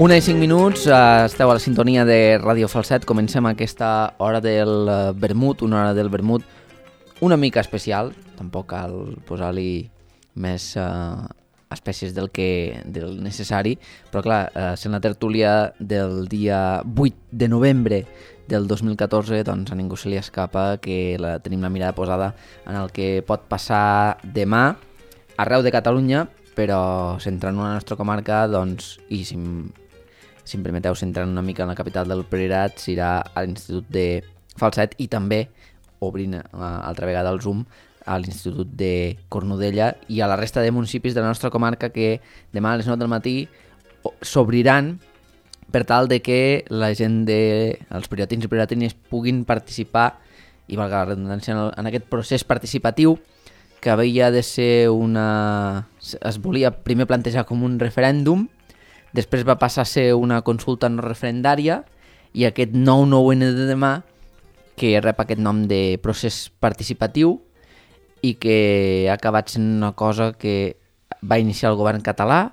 1:05, esteu a la sintonia de Ràdio Falset. Comencem aquesta hora del vermut, una hora del vermut una mica especial. Tampoc cal posar-li més espècies del necessari, però clar, sent la tertúlia del dia 8 de novembre del 2014, doncs a ningú se li escapa que tenim la mirada posada en el que pot passar demà arreu de Catalunya, però centrant la nostra comarca, doncs, i si em permeteu, centrant una mica en la capital del Priorat, serà a l'Institut de Falset i també obrint altra vegada el Zoom a l'Institut de Cornudella i a la resta de municipis de la nostra comarca que demà a les 9 del matí s'obriran per tal de que la gent els prioratins i prioratines puguin participar, i valga la redundància, en aquest procés participatiu que havia de ser es volia primer plantejar com un referèndum, després va passar a ser una consulta no referendària, i aquest 9/9 de demà, que rep aquest nom de procés participatiu i que ha acabat sent una cosa que va iniciar el govern català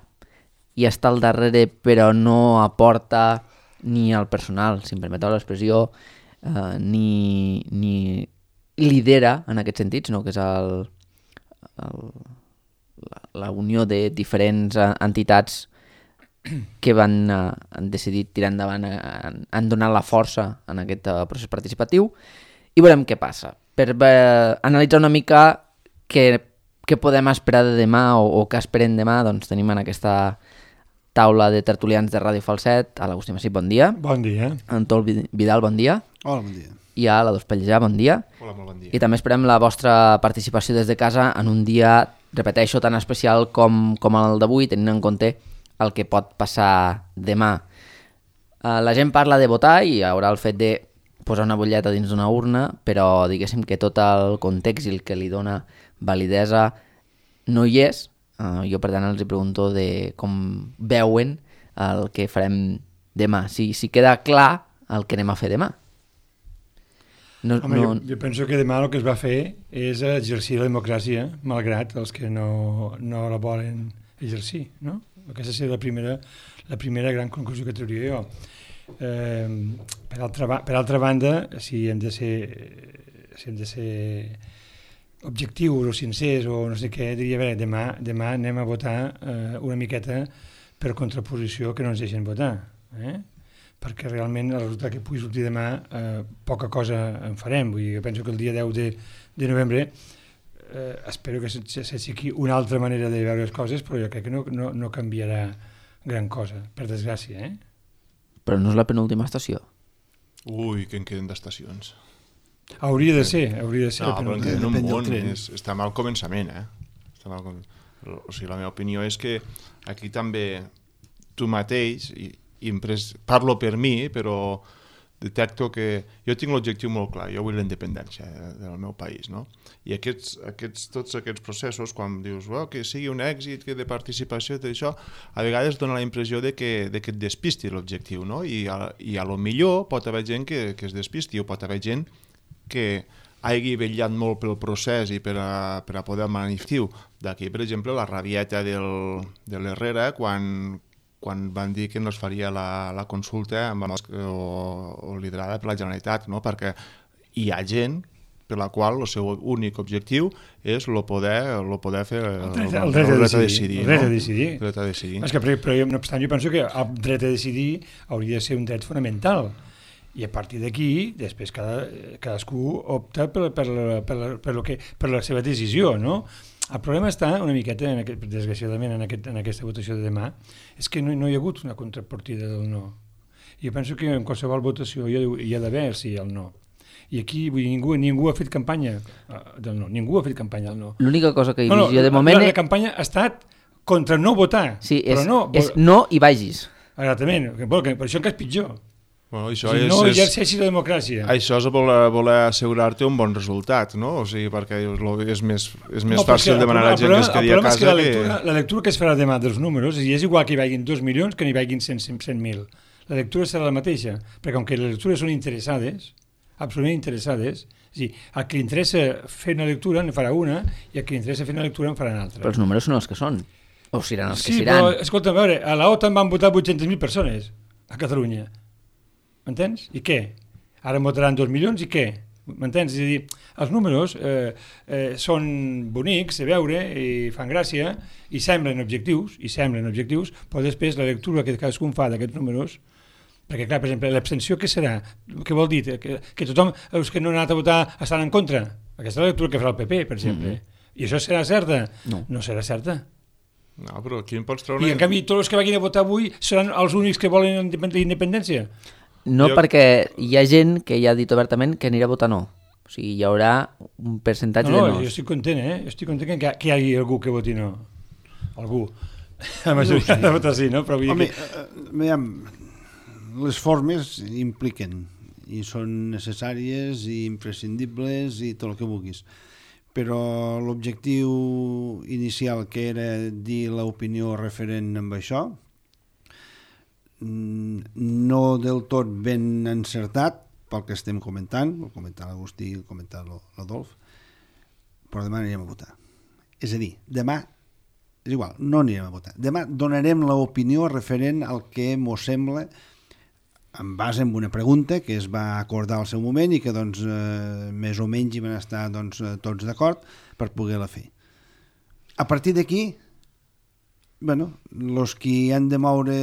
i està al darrere, però no aporta ni al personal, si em permeteu l'expressió, ni lidera en aquest sentit, sinó que és la unió de diferents entitats que han decidit tirar endavant, han donat la força en aquest procés participatiu, i veurem què passa. Per analitzar una mica què podem esperar de demà o què esperem demà, doncs tenim en aquesta taula de tertulians de Ràdio Falset a l'Agustí Massip, bon dia. Bon dia. En Tol Vidal, bon dia. Hola, bon dia. I a la Dos Pellejà, bon dia. Hola, molt bon dia. I també esperem la vostra participació des de casa en un dia, repeteixo, tan especial com el d'avui, tenint en compte el que pot passar demà. La gent parla de votar i hi haurà el fet de posar una butlleta dins d'una urna, però diguéssim que tot el context i el que li dona validesa no hi és. Jo, per tant, els pregunto de com veuen el que farem demà, si queda clar el que anem a fer demà. Jo penso que demà el que es va fer és exercir la democràcia, malgrat els que no la volen exercir, no? Aquesta seria la primera gran conclusió que trauria jo. Per altra banda, si hem de ser objectius o sincers o no sé què, diria, a veure, demà anem a votar una miqueta per contraposició que no ens deixen votar, perquè realment el resultat que pugui sortir demà poca cosa en farem. Vull dir, jo penso que el dia 10 de novembre espero que s'aixequi una altra manera de veure les coses, però jo crec que no canviarà gran cosa, per desgràcia. Però no és la penúltima estació? Ui, que en queden d'estacions. Hauria de ser. No, però en queden un munt, està mal començament, O sigui, la meva opinió és que aquí també tu mateix, parlo per mi, però detecto que jo tinc l'objectiu molt clar, jo vull la independència del meu país, no? I tots aquests processos, quan dius que sigui un èxit, que de participació, tot això, a vegades dona la impressió de que et despisti l'objectiu, no? I a lo millor pot haver gent que es despisti, o pot haver gent que hagi vetllat molt pel procés i per a poder manifestar. D'aquí, per exemple, la rabieta de l'Herrera, quan van dir que no es faria la consulta o liderada per la Generalitat, no? Perquè hi ha gent per la qual el seu únic objectiu és el poder fer el dret a decidir. El dret a decidir. Però no obstant, jo penso que el dret a decidir hauria de ser un dret fonamental. I a partir d'aquí, després cadascú opta per la seva decisió, no? El problema està una miqueta, desgraciadament, en aquesta votació de demà, és que no hi ha hagut una contrapartida del no. I jo penso que en qualsevol votació hi ha d'haver sí el no. I aquí ningú ha fet campanya del no. Ningú ha fet campanya del no. L'única cosa que hi havia de moment... La campanya ha estat contra no votar. Sí, és no i vagis. Exactament, per això encara és pitjor. Bueno, no exerceixi la democràcia. Això és voler assegurar-te un bon resultat, no? O sigui, perquè és més fàcil demanar a la gent que es quedi a casa. El problema és que la lectura que es farà demà dels números és igual que hi vagin 2 milions que n'hi vagin 100.000. La lectura serà la mateixa, perquè com que les lectures són interessades, absolutament interessades, és a dir, al que li interessa fer una lectura en farà una i al que li interessa fer una lectura en farà una altra. Però els números són els que són. O seran els que Sí, seran. però, escolta, a veure, a la OTAN van votar 800.000 persones a Catalunya. M'entens? I què? Ara en votaran 2 milions i què? M'entens? És a dir, els números són bonics de veure i fan gràcia i semblen objectius, però després la lectura que cadascun fa d'aquests números, perquè clar, per exemple, l'abstenció què serà? Què vol dir? Que tothom, els que no han anat a votar estan en contra? Aquesta és la lectura que farà el PP, per exemple. I això serà certa? No serà certa. No, però aquí em pots treure... I en canvi tots els que vagin a votar avui seran els únics que volen independència? No, perquè hi ha gent que ja ha dit obertament que anirà a votar no. O sigui, hi haurà un percentatge de no. Jo estic content, Jo estic content que hi hagi algú que voti no. Algú. La majoria de votar sí, no? Però home, veiem, les formes impliquen i són necessàries i imprescindibles i tot el que vulguis. Però l'objectiu inicial, que era dir l'opinió referent amb això, no del tot ben encertat pel que estem comentant, el comentar l'Agustí, el comentar l'Adolf, però demà anirem a votar. És a dir, demà, és igual, no anirem a votar. Demà donarem l'opinió referent al que mos sembla, en base en una pregunta que es va acordar al seu moment i que doncs, més o menys hi van estar doncs, tots d'acord per poder-la fer. A partir d'aquí, bueno, els que han de moure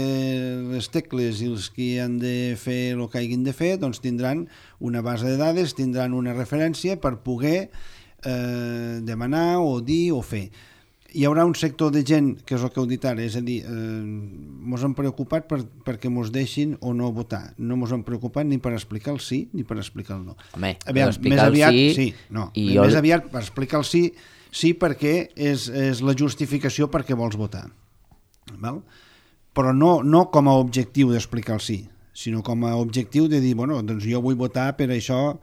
les tecles i els que han de fer el que hagin de fer doncs tindran una base de dades, tindran una referència per poder demanar o dir o fer. Hi haurà un sector de gent, que és el que heu dit ara, és a dir, mos hem preocupat perquè mos deixin o no votar. No mos hem preocupat ni per explicar el sí ni per explicar el no. Home, aviam, explicar el sí... Sí, no, més aviat per explicar el sí, sí perquè és la justificació perquè vols votar. Val? Però no com a objectiu d'explicar el sí, sinó com a objectiu de dir, bueno, doncs jo vull votar per això,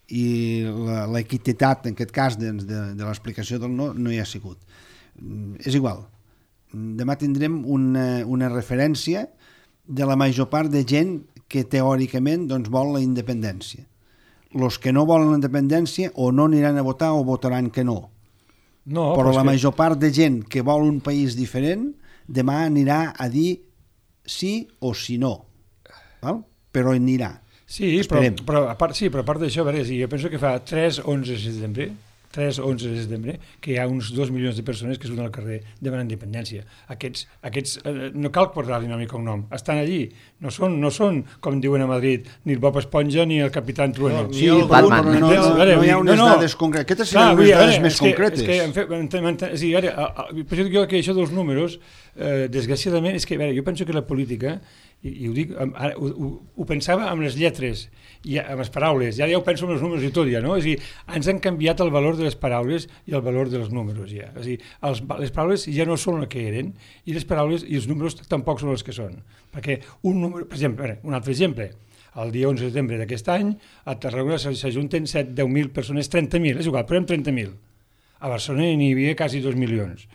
i l'equitat en aquest cas de l'explicació del no hi ha sigut. És igual, demà tindrem una referència de la major part de gent que teòricament doncs, vol la independència. Els que no volen la independència o no aniran a votar o votaran que no. Però la major part de gent que vol un país diferent demà anirà a dir sí o si no, val? Però anirà. Sí, però a part d'això, jo penso que fa 3-11 de setembre, que hi ha uns 2 milions de persones que surten al carrer demanant independència. Aquests no cal portar-li nom i cognom, estan allí. No són, com diuen a Madrid, ni el Bob Esponja ni el Capitán Trueno. Sí, però no hi ha unes dades concretes. Aquestes seran unes dades més concretes. Per això dic que això dels números, desgraciadament, és que jo penso que la política, i ho dic, ho pensava amb les lletres i amb les paraules, ja ho penso amb els números i tot ja, no? És a dir, ens han canviat el valor de les paraules i el valor dels números ja. És a dir, les paraules ja no són el que eren i les paraules i els números tampoc són els que són. Perquè un número, per exemple, un altre exemple, el dia 11 de setembre d'aquest any a Tarragona s'ajunten 10.000 persones, 30.000, és igual, però 30.000. A Barcelona n'hi havia quasi 2 milions.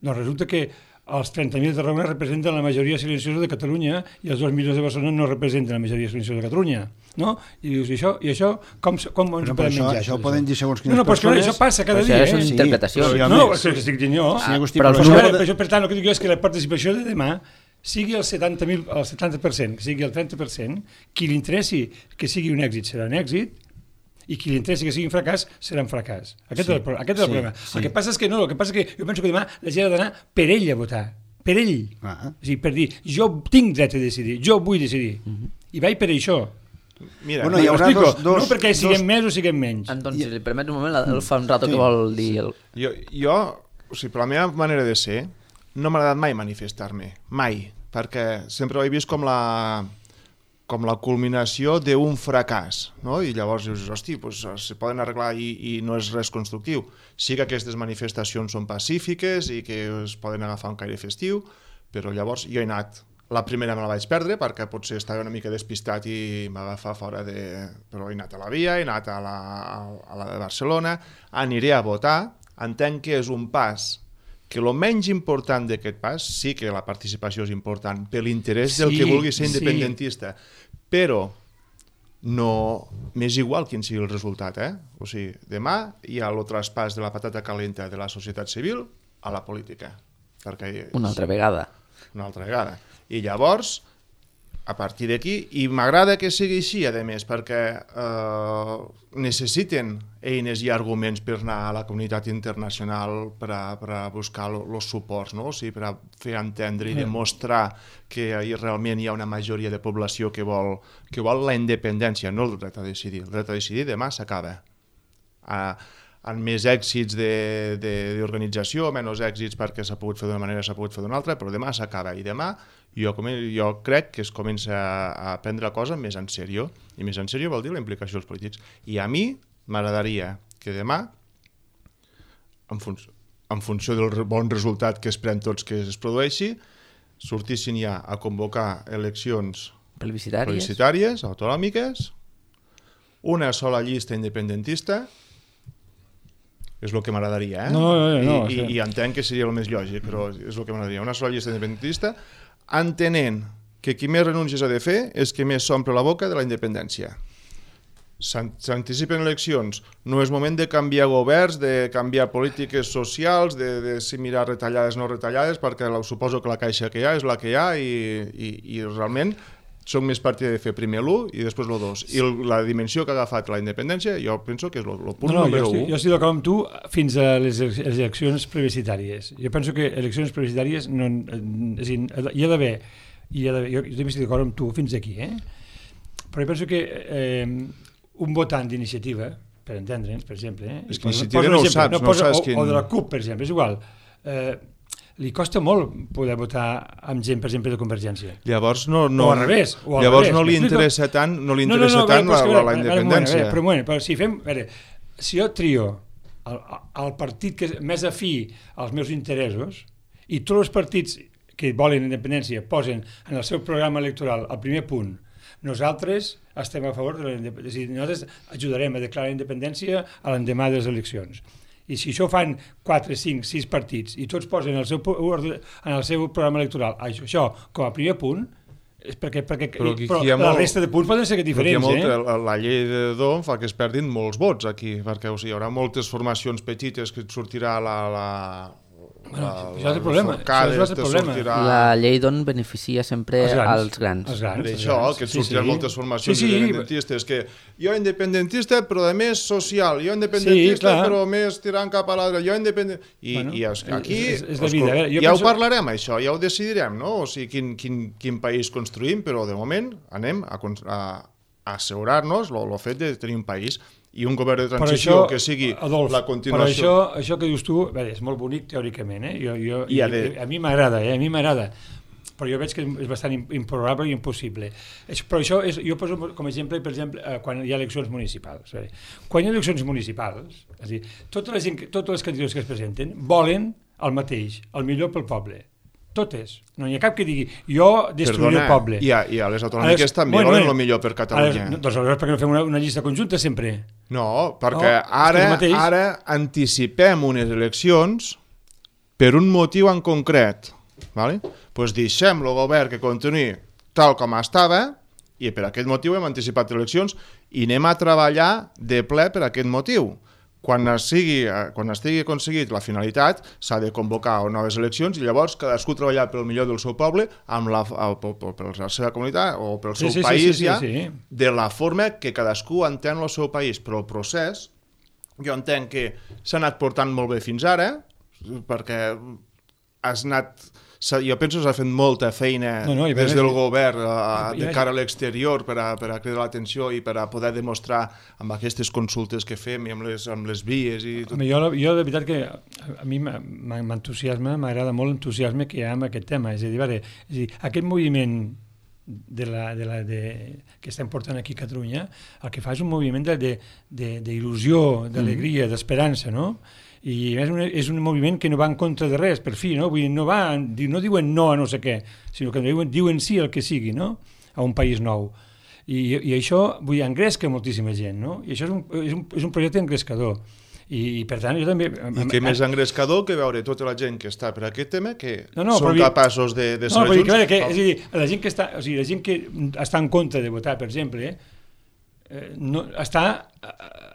Doncs resulta que els 30.000 de Tarragona representen la majoria silenciosa de Catalunya i els 2 milions de Barcelona no representen la majoria silenciosa de Catalunya, no? I dius, i això com ens podem menjar? Això ho poden dir segons quines persones... No, però això passa cada dia, Això és interpretació. No, és que estic dient jo. Per tant, el que dic és que la participació de demà sigui el 70%, que sigui el 30%, qui li interessi que sigui un èxit serà un èxit, i qui li interessi que sigui un fracàs, serà un fracàs. Aquest és el problema. El que passa és que jo penso que demà la gent ha d'anar per ell a votar. Per ell. O sigui, per dir, jo tinc dret a decidir, jo vull decidir. I vaig per això. Mira, hi haurà no perquè siguem més o siguem menys. Anton, si li permets un moment, el fa un rato que vol dir... Jo, o sigui, per la meva manera de ser, no m'ha agradat mai manifestar-me. Mai. Perquè sempre ho he vist com la culminació d'un fracàs, no? I llavors dius, hosti, se poden arreglar i no és res constructiu. Sí que aquestes manifestacions són pacífiques i que es poden agafar un caire festiu, però llavors jo he anat, la primera me la vaig perdre perquè potser estava una mica despistat i m'agafar fora de... Però he anat a la Via, he anat a la de Barcelona, aniré a votar, entenc que és un pas que el menys important d'aquest pas, sí que la participació és important per l'interès del que vulgui ser independentista, però no m'és igual quin sigui el resultat. O sigui, demà hi ha el traspàs de la patata calenta de la societat civil a la política. Una altra vegada. I llavors, a partir d'aquí, i m'agrada que sigui així, a més, perquè necessiten eines i arguments per anar a la comunitat internacional per a buscar els suports, no? O sigui, per a fer entendre i demostrar que realment hi ha una majoria de població que vol la independència, no el dret a decidir. El dret a decidir demà s'acaba. Amb més èxits d'organització, menys èxits perquè s'ha pogut fer d'una manera, s'ha pogut fer d'una altra, però demà s'acaba. I demà jo crec que es comença a prendre la cosa més en sèrio, i més en sèrio vol dir la implicació dels polítics. I a mi m'agradaria que demà, en funció del bon resultat que esperem tots que es produeixi, sortissin ja a convocar eleccions plebiscitàries, autonòmiques, una sola llista independentista. És el que m'agradaria, I entenc que seria el més lògic, però és el que m'agradaria. Una sola llista independentista, entenent que qui més renúncies ha de fer és qui més s'omple la boca de la independència. S'anticipen eleccions, no és moment de canviar governs, de canviar polítiques socials, de si mirar retallades o no retallades, perquè suposo que la caixa que hi ha és la que hi ha i realment soc més partidari de fer primer l'1 i després l'2. I la dimensió que ha agafat la independència, jo penso que és el punt número 1. Jo estic d'acord amb tu fins a les eleccions plebiscitàries. Jo penso que eleccions plebiscitàries hi ha d'haver, jo també estic d'acord amb tu fins aquí, però jo penso que un votant d'iniciativa, per entendre'ns, per exemple... És que iniciativa no ho saps quin... O de la CUP, per exemple, és igual. Li costa molt poder votar amb gent, per exemple, de Convergència. Llavors o al revés. Llavors no li interessa tant la independència. Però si jo trio el partit que és més afí als meus interessos i tots els partits que volen independència posen en el seu programa electoral al primer punt nosaltres estem a favor de la independència. És a dir, nosaltres ajudarem a declarar la independència a l'endemà de les eleccions. I si això fan 4, 5, 6 partits i tots posen en el seu programa electoral això com a primer punt, és perquè la resta de punts poden ser diferents. La llei de Dom fa que es perdin molts vots aquí, perquè hi haurà moltes formacions petites que sortirà això és el problema. La llei d'on beneficia sempre als grans. Per això, que sortiran moltes formacions independentistes, que jo independentista però a més social, jo independentista però més tirant cap a l'altre, jo independentista... I aquí ja ho parlarem això, ja ho decidirem, no? O sigui, quin país construïm, però de moment anem a assegurar-nos el fet de tenir un país i un govern de transició que sigui la continuació. Però això que dius tu, és molt bonic teòricament, a mi m'agrada, però jo veig que és bastant improbable i impossible. Però això jo poso com a exemple, per exemple, quan hi ha eleccions municipals. Quan hi ha eleccions municipals, és a dir, totes les candidatures que es presenten volen el mateix, el millor pel poble. Totes. No hi ha cap que digui jo destruiré el poble. I a les autonòmiques també volen el millor per Catalunya. Doncs aleshores per què no fem una llista conjunta sempre? No, perquè ara anticipem unes eleccions per un motiu en concret. Doncs deixem el govern que continuï tal com estava i per aquest motiu hem anticipat eleccions i anem a treballar de ple per aquest motiu. Quan estigui aconseguit la finalitat, s'ha de convocar noves eleccions i llavors cadascú treballar pel millor del seu poble per la seva comunitat o pel seu país de la forma que cadascú entén el seu país. Però el procés, jo entenc que s'ha anat portant molt bé fins ara, perquè jo penso que s'ha fet molta feina des del govern de cara a l'exterior per a cridar l'atenció i per a poder demostrar amb aquestes consultes que fem i amb les vies i tot. Jo de veritat que a mi m'entusiasma, m'agrada molt l'entusiasme que hi ha amb aquest tema, és a dir, aquest moviment que estem portant aquí a Catalunya, el que fa és un moviment d'il·lusió, d'alegria, d'esperança, no? I és un moviment que no va en contra de res, per fi, no? Vull dir, no diuen no a no sé què, sinó que diuen sí al que sigui, no? A un país nou. I això, vull dir, engresca moltíssima gent, no? I això és un projecte engrescador. I per tant, jo també... I què més engrescador que veure tota la gent que està per aquest tema que són capaços de saber junts... És a dir, la gent que està en contra de votar, per exemple, està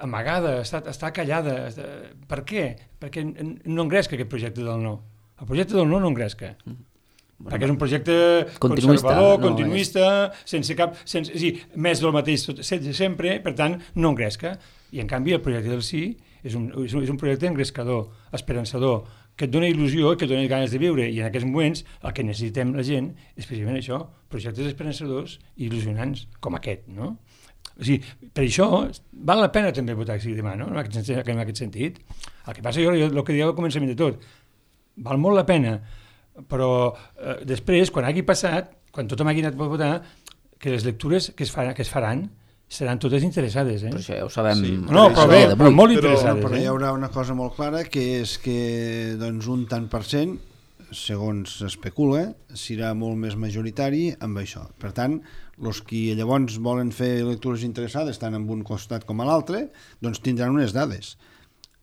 amagada, està callada. Per què? Perquè no engresca aquest projecte del no. El projecte del no engresca. Perquè és un projecte continuista, conservador, continuista, sense cap... més del mateix sempre, per tant, no engresca. I en canvi el projecte del sí és un projecte engrescador, esperançador, que et dona il·lusió i que et dona ganes de viure. I en aquests moments el que necessitem la gent és precisament això, projectes esperançadors i il·lusionants, com aquest, no? O sigui, per això val la pena també votar que sigui demà, no? En aquest sentit. El que passa, jo el que dieu al començament de tot, val molt la pena, però després, quan hagi passat, quan tothom hagi anat a votar, que les lectures que es faran seran totes interessades. Però això ja ho sabem. Sí. No, però molt interessades. Però hi haurà una cosa molt clara, que és que doncs, un tant per cent, segons s'especula, serà molt més majoritari amb això. Per tant, els que llavors volen fer lectures interessades tant en un costat com a l'altre, doncs tindran unes dades.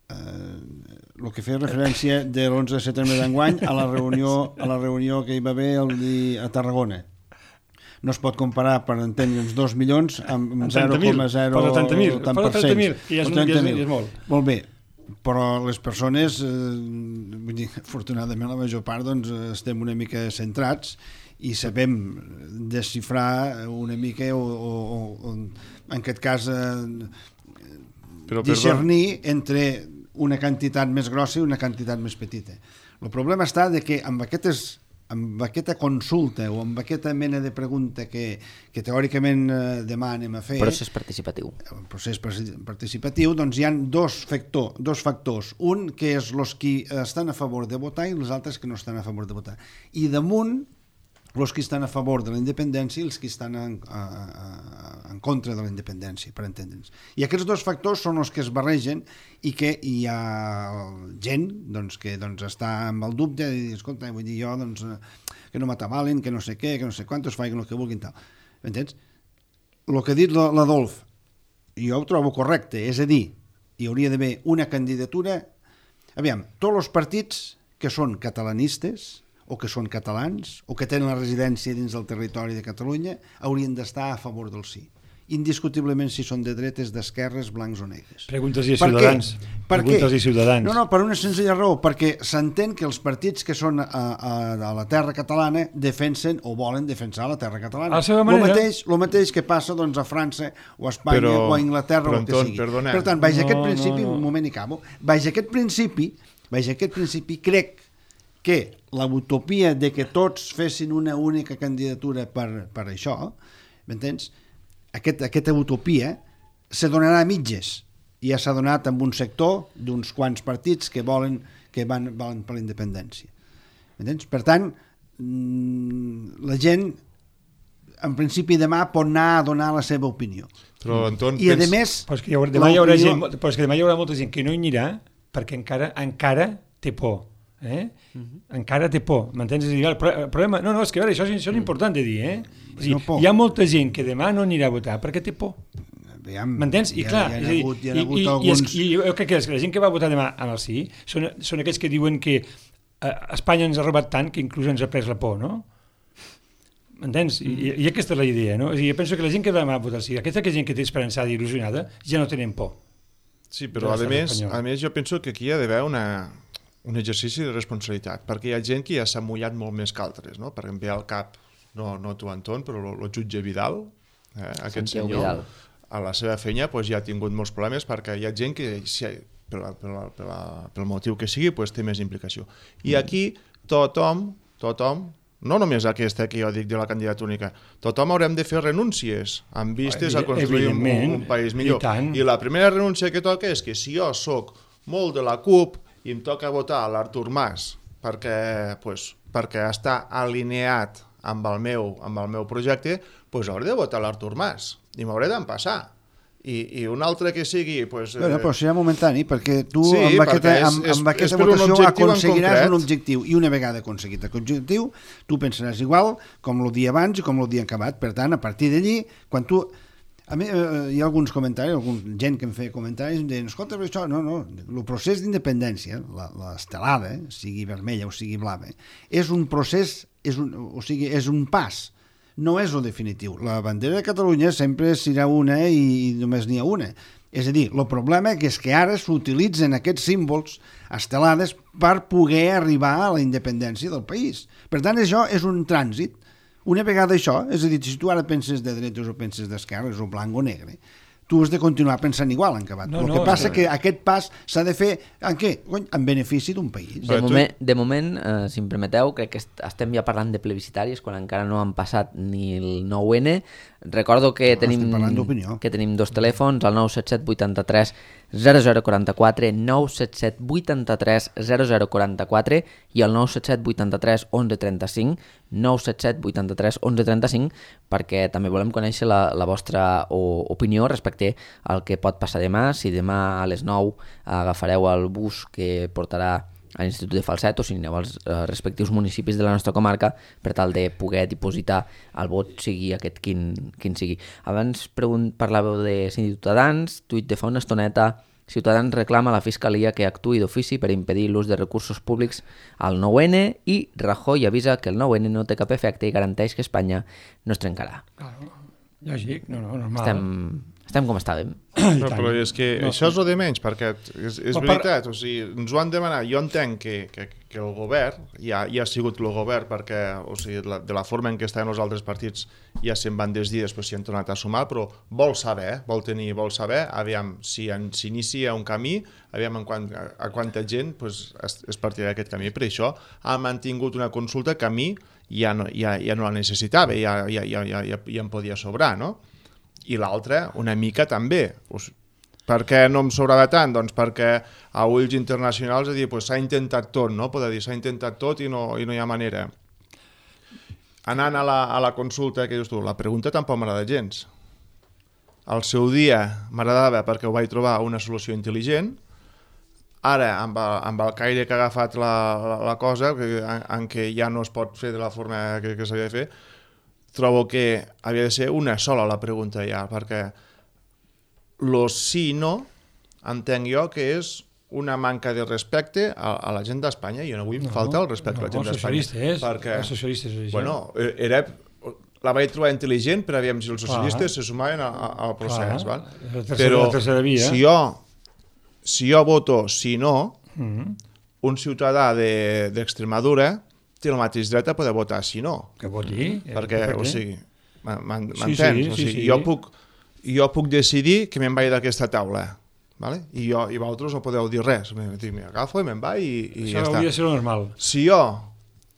El que feia referència de l'11 de setembre d'enguany a la reunió que hi va haver a Tarragona. No es pot comparar, per entendre'ns, 2 milions amb 0,0 tant per cent. I és molt. Molt bé, però les persones, vull dir, afortunadament la major part doncs, estem una mica centrats i sabem desxifrar una mica o en aquest cas discernir entre una quantitat més grossa i una quantitat més petita. El problema està de que amb aquesta consulta o amb aquesta mena de pregunta que teòricament demà anem a fer... Procés participatiu. Procés participatiu, doncs hi ha dos factors. Un que és els que estan a favor de votar i els altres que no estan a favor de votar. I damunt, els que estan a favor de la independència i els que estan en contra de la independència, per entendre'ns. I aquests dos factors són els que es barregen i que hi ha gent doncs, que doncs, està amb el dubte de dir, escolta, vull dir jo doncs, que no m'atabalen, que no sé què, que no sé quantos, facin el que vulguin, tal. M'entens? El que ha dit l'Adolf, jo ho trobo correcte, és a dir, hi hauria d'haver una candidatura... Aviam, tots els partits que són catalanistes o que són catalans, o que tenen la residència dins del territori de Catalunya, haurien d'estar a favor del sí. Indiscutiblement si són de dretes, d'esquerres, blancs o negres. Preguntes i Ciutadans. Per què? Preguntes i Ciutadans. No, per una senzilla raó, perquè s'entén que els partits que són a la terra catalana defensen o volen defensar la terra catalana. A la seva manera. El mateix que passa doncs, a França o a Espanya o a Anglaterra o el que sigui. Perdona. Per tant, baix aquest principi, un moment i acabo, baix aquest principi crec que la utopia de que tots fessin una única candidatura per això, m'entens? Aquesta utopia se donarà a mitges i ja s'ha donat amb un sector d'uns quants partits que van per la independència. M'entens? Per tant, la gent en principi demà pot anar a donar la seva opinió. Però, Anton, i a més... Però és que demà hi haurà molta gent que no hi anirà perquè encara té por. Encara té por, m'entens? El problema, no, és que veure, això és important de dir, és dir, hi ha molta gent que demà no anirà a votar perquè té por, m'entens? I clar, i jo crec que la gent que va votar demà en el sí són aquells que diuen que Espanya ens ha robat tant que inclús ens ha pres la por, no? M'entens? I aquesta és la idea, no? Jo penso que la gent que demà va votar sí, aquesta gent que té esperançada i il·lusionada ja no tenen por. Sí, però a més jo penso que aquí hi ha d'haver un exercici de responsabilitat, perquè hi ha gent que ja s'ha mullat molt més que altres, no? Per exemple, al cap, no tu, Anton, però el jutge Vidal, aquest senyor, Vidal, a la seva feina ja ha tingut molts problemes perquè hi ha gent que, pel motiu que sigui, té més implicació. I aquí tothom, no només aquesta que jo dic de la candidatura única, tothom haurem de fer renúncies amb vistes a construir un país millor. I la primera renúncia que toca és que si jo soc molt de la CUP i em toca votar a l'Artur Mas perquè està alineat amb el meu projecte, hauré de votar l'Artur Mas i m'hauré d'empassar. I un altre que sigui... Però serà momentani, perquè tu amb aquesta votació aconseguiràs un objectiu, i una vegada aconseguit aquest objectiu, tu pensaràs igual com el dia abans i com el dia acabat. Per tant, a partir d'allí, quan tu... A mi, hi ha alguns comentaris, gent que em feia comentaris, em deien, escolta, això, no, el procés d'independència, l'estelada, sigui vermella o sigui blava, és un procés, és un pas, no és el definitiu. La bandera de Catalunya sempre serà una i només n'hi ha una. És a dir, el problema és que ara s'utilitzen aquests símbols estelades per poder arribar a la independència del país. Per tant, això és un trànsit. Una vegada això, és a dir, si tu ara penses de dretes o penses d'esquerres o blanc o negre, tu has de continuar pensant igual en acabat. El que passa que aquest pas s'ha de fer en què? En benefici d'un país. De moment, si em permeteu, crec que estem ja parlant de plebiscitaris quan encara no han passat ni el 9N. Recordo que tenim dos telèfons, el 977 83 0044, 977 83 0044 i el 977 83 1135, 977 83 1135, perquè també volem conèixer la vostra opinió respecte al que pot passar demà, si demà a les 9 agafareu el bus que portarà a l'Institut de Falset o si aneu als respectius municipis de la nostra comarca per tal de poder dipositar el vot, sigui aquest quin sigui. Abans parlàveu de Ciutadans, tuit de fa una estoneta: Ciutadans reclama a la Fiscalia que actuï d'ofici per impedir l'ús de recursos públics al 9N i Rajoy avisa que el 9N no té cap efecte i garanteix que Espanya no es trencarà. Claro, lògic, normal. Estem com estàvem. No, però és que això és el de menys, perquè és veritat, o sigui, ens ho han demanat. Jo entenc que el govern, ja ha sigut el govern, perquè o sigui, de la forma en què estaven els altres partits ja se'n van desdir, després s'hi han tornat a sumar, però vol saber, aviam, si s'inicia un camí, aviam a quanta gent es partirà d'aquest camí. Per això ha mantingut una consulta que a mi ja no la necessitava, ja em podia sobrar, no? I l'altra, una mica també. Per què no em sobrava tant? Doncs perquè a ulls internacionals s'ha intentat tot, no? Poder dir, s'ha intentat tot i no hi ha manera. Anant a la consulta que dius tu, la pregunta tampoc m'agrada gens. Al seu dia m'agradava perquè ho vaig trobar una solució intel·ligent. Ara, amb el caire que ha agafat la cosa, en què ja no es pot fer de la forma que s'havia de fer, trobo que havia de ser una sola la pregunta ja, perquè lo sí i no entenc jo que és una manca de respecte a la gent d'Espanya, i jo no vull faltar el respecte a la gent d'Espanya. Els socialistes. Bueno, la vaig trobar intel·ligent per aviam si els socialistes se sumaven al procés. Però si jo voto sí no, un ciutadà d'Extremadura té el mateix dret a poder votar si no. Que voti. Perquè, o sigui, m'entens? Jo puc decidir que me'n vaig d'aquesta taula, i vosaltres no podeu dir res. M'agafo i me'n vaig i ja està. Això hauria de ser normal. Si jo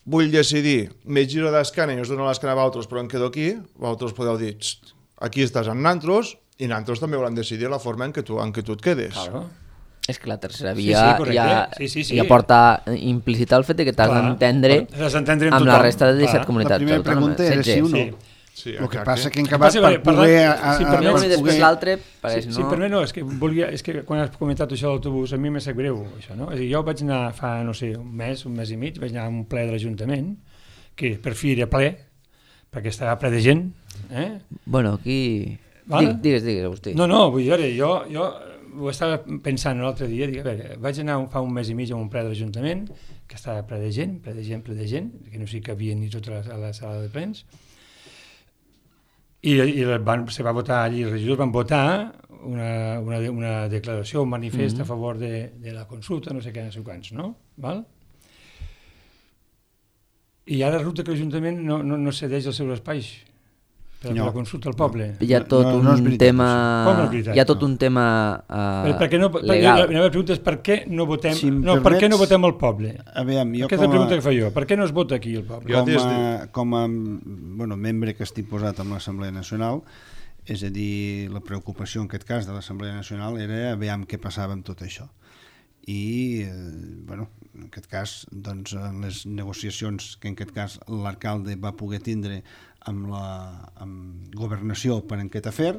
vull decidir, me giro d'esquena i us dono l'esquena a vosaltres però em quedo aquí, vosaltres podeu dir, aquí estàs amb nantros, i nantros també volen decidir la forma en què tu et quedes. Claro. És que la tercera via ja porta implícita el fet que t'has d'entendre amb la resta de 17 comunitats. La primera pregunta era sí o no. El que passa que en acabat per poder... I després l'altre... Sí, per mi no, és que quan has comentat això de l'autobús, a mi me sap greu això, no? Jo vaig anar fa, no sé, un mes i mig, vaig anar a un ple de l'Ajuntament, que per fi era ple, perquè estava ple de gent. Bueno, aquí... Digues, Agustí. No, vull dir, jo ho estava pensant l'altre dia, dic, a veure, vaig anar fa un mes i mig a un ple de l'Ajuntament, que estava ple de gent, que no sé que havia ni tota la sala de plens, i se va votar allí, els regidors van votar una declaració, un manifest a favor de la consulta, no sé què, no sé quants, no? Val? I ara resulta que l'Ajuntament no cedeix els seus espais per la consulta al poble. Hi ha tot un tema... Hi ha tot un tema legal. La meva pregunta és per què no votem el poble? Aquesta és la pregunta que fa jo. Per què no es vota aquí el poble? Com a membre que estic posat amb l'Assemblea Nacional, és a dir, la preocupació en aquest cas de l'Assemblea Nacional era veure què passava amb tot això. I, en aquest cas, doncs, en les negociacions que en aquest cas l'alcalde va poder tindre amb governació per aquest afer,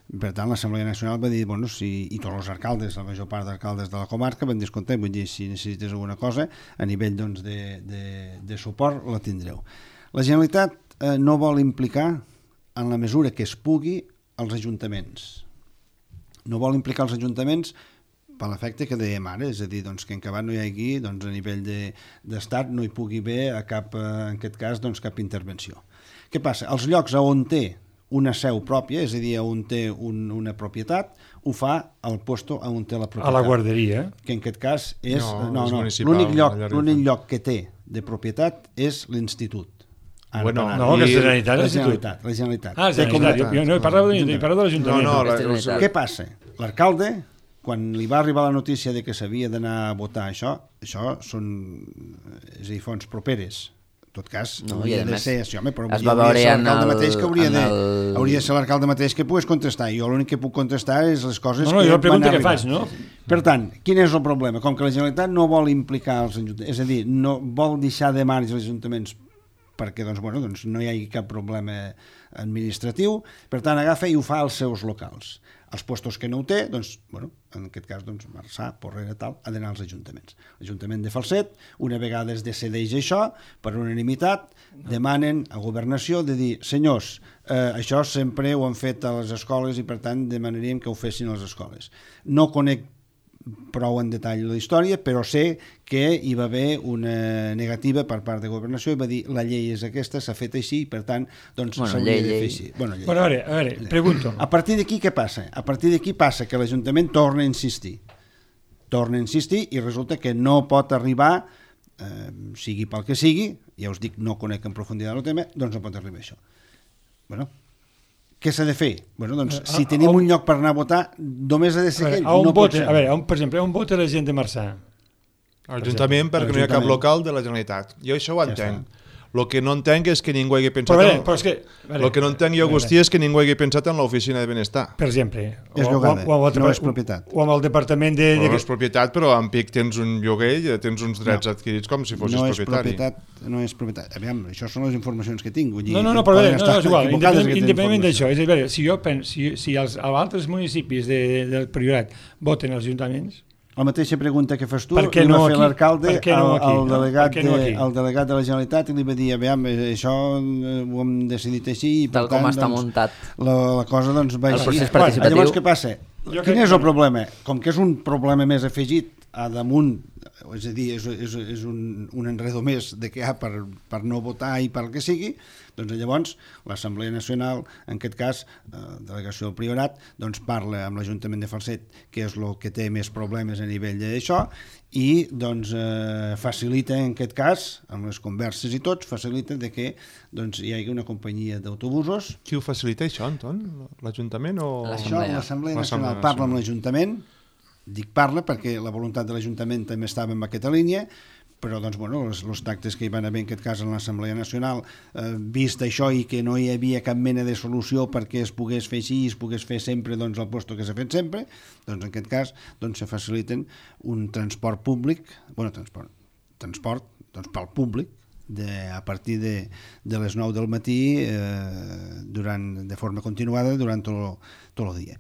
per tant l'Assemblea Nacional va dir, i tots els alcaldes, la major part d'alcaldes de la comarca van dir, escolta, vull dir, si necessites alguna cosa a nivell de suport la tindreu. La Generalitat no vol implicar en la mesura que es pugui els ajuntaments. No vol implicar els ajuntaments per l'efecte que dèiem ara, és a dir, que en acabat no hi hagi, a nivell d'estat no hi pugui haver en aquest cas, cap intervenció. Què passa? Els llocs on té una seu pròpia, és a dir, on té una propietat, ho fa al puesto on té la propietat. A la guarderia. Que en aquest cas és... No, és municipal. L'únic lloc que té de propietat és l'institut. Bueno, no, que és la Generalitat. La Generalitat. Ah, la Generalitat. Jo no he parlat de l'Ajuntament. No, Què passa? L'alcalde, quan li va arribar la notícia de que s'havia d'anar a votar això són, és a dir, fonts properes. En tot cas, hauria de ser això, però es va veure hauria de ser l'alcalde mateix que pogués contestar. Jo l'únic que puc contestar és les coses que jo pregunto què faig, no? Per tant, quin és el problema? Com que la Generalitat no vol implicar els ajuntaments, és a dir, no vol deixar de marge els ajuntaments perquè no hi hagi cap problema administratiu, per tant agafa i ho fa als seus locals. Els puestos que no ho té, en aquest cas Marçà, Porrera, tal, ha d'anar als ajuntaments. L'Ajuntament de Falset, una vegada es decideix això, per unanimitat, demanen a Governació de dir, senyors, això sempre ho han fet a les escoles i per tant demanaríem que ho fessin a les escoles. No conec prou en detall la història, però sé que hi va haver una negativa per part de Governació i va dir la llei és aquesta, s'ha fet així i per tant s'hauria de fer així. Bueno, a veure, pregunto. A partir d'aquí què passa? A partir d'aquí passa que l'Ajuntament torna a insistir i resulta que no pot arribar, sigui pel que sigui, ja us dic, no conec en profunditat el tema, doncs no pot arribar a això. Què s'ha de fer? Si tenim un lloc per anar a votar, només ha de ser aquell. No pot ser. A veure, per exemple, on vota la gent de Marçà? L'Ajuntament, perquè no hi ha cap local de la Generalitat. Jo això ho entenc. El que no entenc és que ningú hagi pensat... El que no entenc jo, Agustí, és que ningú hagi pensat en l'oficina de benestar. Per exemple. És llogada, no és propietat. O amb el departament de... No és propietat, però en pic tens un lloguer i tens uns drets adquirits com si fossis propietari. No és propietat. Aviam, això són les informacions que tinc. No, però és igual. Independentment d'això. És a dir, si jo penso, si els altres municipis del Priorat voten als ajuntaments... La mateixa pregunta que fas tu, li va fer l'alcalde al delegat de la Generalitat i li va dir, aviam, això ho hem decidit així i per tant, com està muntat la cosa va així. Llavors què passa? Quin és el problema? Com que és un problema més afegit a damunt, és a dir, és un enredo més de què hi ha per no votar i per que sigui, doncs llavors l'Assemblea Nacional, en aquest cas, delegació del Priorat, doncs parla amb l'Ajuntament de Falset, que és el que té més problemes a nivell d'això, i doncs facilita, en aquest cas, amb les converses i tots, facilita que hi hagi una companyia d'autobusos. Qui ho facilita això, Anton? L'Ajuntament o...? L'Assemblea Nacional parla amb l'Ajuntament, dic parla perquè la voluntat de l'Ajuntament també estava en aquesta línia, però els tractes que hi van haver en aquest cas en l'Assemblea Nacional, vist això i que no hi havia cap mena de solució perquè es pogués fer així i es pogués fer sempre el lloc que s'ha fet sempre, doncs en aquest cas se faciliten un transport públic, transport pel públic, a partir de les 9 del matí de forma continuada durant tot el dia.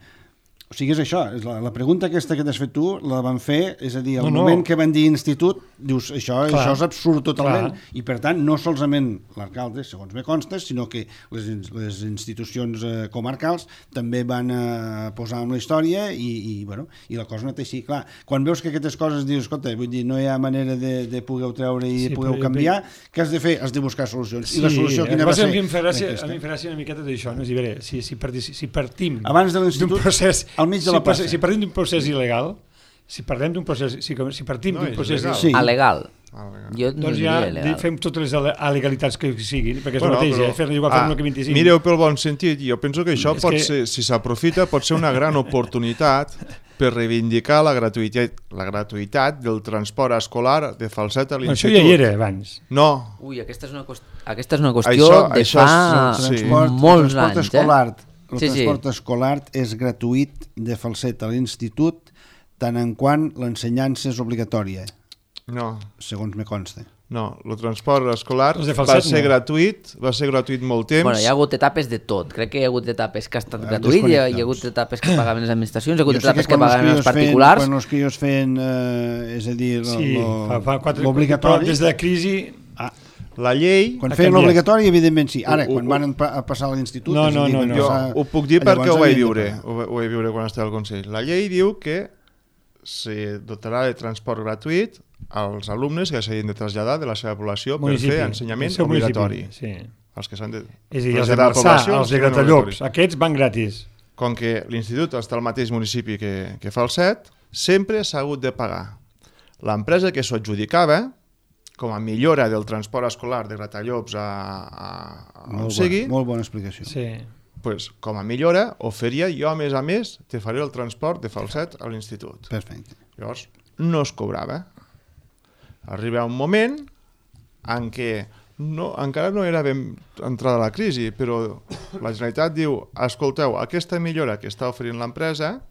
O sigui, és això, la pregunta aquesta que t'has fet tu la van fer, és a dir, al moment que van dir institut, dius, això és absurd totalment, i per tant no solament l'alcalde, segons me consta, sinó que les institucions comarcals també van posar en la història i la cosa no té així. Clar, quan veus que aquestes coses dius, escolta, vull dir, no hi ha manera de poder treure i de poder canviar, què has de fer? Has de buscar solucions. I la solució quina va ser? A mi em fa gràcia una miqueta d'això, no? Si partim abans de l'institut, al mig de la plaça. Si partim d'un procés il·legal, si partim d'un procés alegal, doncs ja fem totes les alegalitats que siguin, perquè és el mateix, fer-ne igual fer-ne que 25. Mireu pel bon sentit, jo penso que això pot ser, si s'aprofita, pot ser una gran oportunitat per reivindicar la gratuïtat del transport escolar de Falset a l'institut. Això ja hi era abans. No. Ui, aquesta és una qüestió de fa molts anys. El transport escolar és gratuït de Falset a l'institut tant en quant l'ensenyança és obligatòria. No. Segons me consta. No, el transport escolar va ser gratuït molt temps. Bueno, hi ha hagut etapes de tot. Crec que hi ha hagut etapes que ha estat gratuït, hi ha hagut etapes que pagaven les administracions, hi ha hagut etapes que pagaven els particulars. Quan els crios feien, és a dir, l'obligatori... Des de la crisi... La llei... Quan feien l'obligatori, evidentment sí. Ara, quan van passar a l'institut... No. Jo ho puc dir perquè ho vaig viure. Ho vaig viure quan estava al Consell. La llei diu que se dotarà de transport gratuït als alumnes que s'hagin de traslladar de la seva població per fer ensenyament obligatori. els que s'han de... És a dir, els de Marçà, els de Gratallops, aquests van gratis. Com que l'institut està al mateix municipi que Falset, sempre s'ha hagut de pagar. L'empresa que s'ho adjudicava, com a millora del transport escolar de Gratallops a on sigui... Molt bona explicació. Sí. Pues, com a millora, oferia jo, a més, te faré el transport de Falset a l'institut. Perfecte. Llavors, no es cobrava. Arriba un moment en què encara no era ben entrada la crisi, però la Generalitat diu, escolteu, aquesta millora que està oferint l'empresa,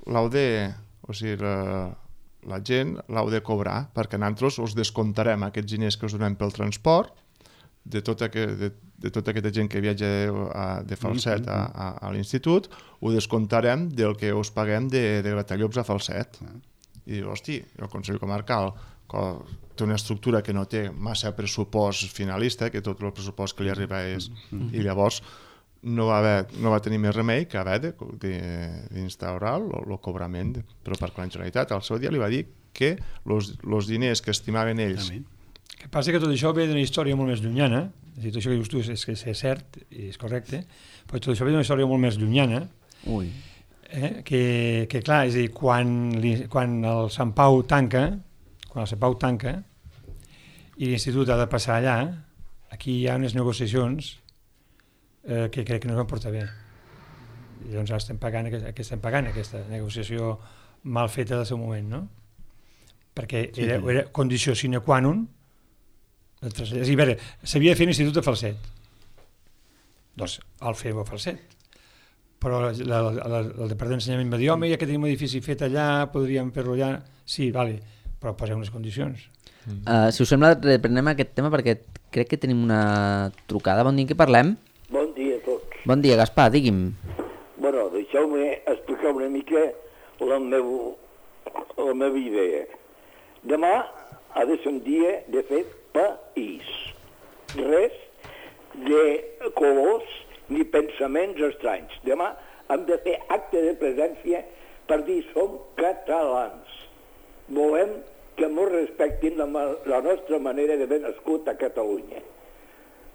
o sigui, la gent l'heu de cobrar, perquè nosaltres us descontarem aquests diners que us donem pel transport de tota aquesta gent que viatja de Falset a l'institut, ho descontarem del que us paguem de Gratallops a Falset. I diu, hosti, el Consell Comarcal té una estructura que no té massa pressupost finalista, que tot el pressupost que li arriba és... I llavors no va tenir més remei que haver d'instaurar el cobrament, però perquè la Generalitat al seu dia li va dir que els diners que estimaven ells... El que passa que tot això ve d'una història molt més llunyana, és a dir, tot això que dius tu és cert i és correcte, però tot això ve d'una història molt més llunyana, que clar, és a dir, quan el Sant Pau tanca, i l'institut ha de passar allà, aquí hi ha unes negociacions que crec que no es van portar bé. I doncs ara estem pagant aquesta negociació mal feta del seu moment, no? Perquè era condició sine qua non. És a dir, a veure, s'havia de fer l'institut de Falset. Doncs el fem a Falset. Però el Departament d'Ensenyament va dir, home, ja que tenim un edifici fet allà, podríem fer-lo allà. Sí, vale, però posem unes condicions. Si us sembla, reprenem aquest tema perquè crec que tenim una trucada. Bon dia, què parlem? Bon dia a tots. Bon dia, Gaspar, digui'm. Bueno, deixeu-me explicar una mica la meva idea. Demà ha de ser un dia de fer país. Res de colors ni pensaments estranys. Demà hem de fer acte de presència per dir som catalans. Volem que ens respectin la nostra manera d'haver nascut a Catalunya.